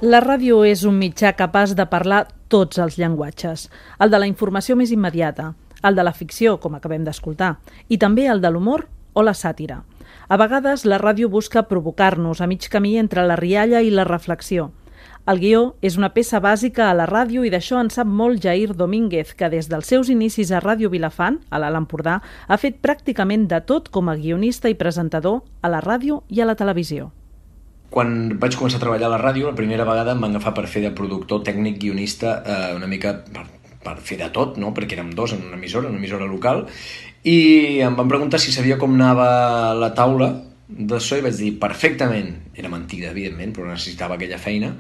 La ràdio és un mitjà capaç de parlar tots els llenguatges. El de la informació més immediata, el de la ficció, com acabem d'escoltar, i també el de l'humor o la sàtira. A vegades la ràdio busca provocar-nos a mig camí entre la rialla i la reflexió. El guió és una peça bàsica a la ràdio i d'això en sap molt Jair Domínguez, que des dels seus inicis a Ràdio Vilafant, a l'Alt Empordà, ha fet pràcticament de tot com a guionista i presentador a la ràdio i a la televisió. Quan vaig començar a treballar a la ràdio, la primera vegada em van agafar per fer de productor, tècnic, guionista, una mica per fer de tot, no? Perquè érem dos en una emissora local, i em van preguntar si sabia com anava la taula d'això i vaig dir perfectament. Era mentida, evidentment, però necessitava aquella feina.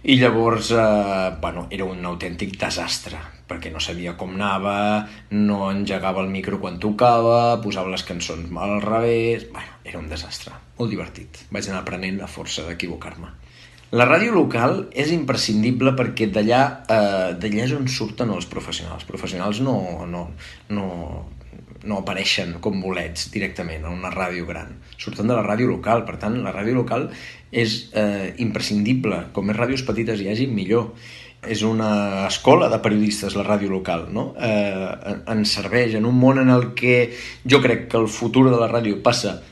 I llavors, era un autèntic desastre, perquè no sabia com anava, no engegava el micro quan tocava, posava les cançons mal al revés... Era un desastre, molt divertit. Vaig anar aprenent a força d'equivocar-me. La ràdio local és imprescindible perquè d'allà és on surten els professionals. Els professionals no apareixen com bolets directament a una ràdio gran. Surten de la ràdio local, per tant, la ràdio local és imprescindible. Com més ràdios petites hi hagi, millor. És una escola de periodistes, la ràdio local, no? Ens serveix en un món en el que jo crec que el futur de la ràdio passa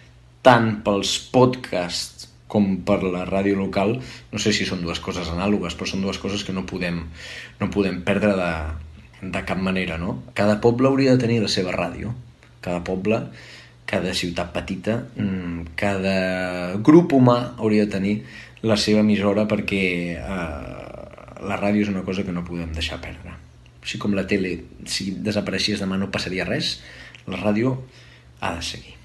tant pels podcasts com per la ràdio local. No sé si són dues coses anàlogues, però són dues coses que no podem perdre de cap manera, no? Cada poble hauria de tenir la seva ràdio. Cada poble, cada ciutat petita, cada grup humà hauria de tenir la seva emissora perquè la ràdio és una cosa que no podem deixar perdre. Així com la tele, si desapareixies demà no passaria res, la ràdio ha de seguir.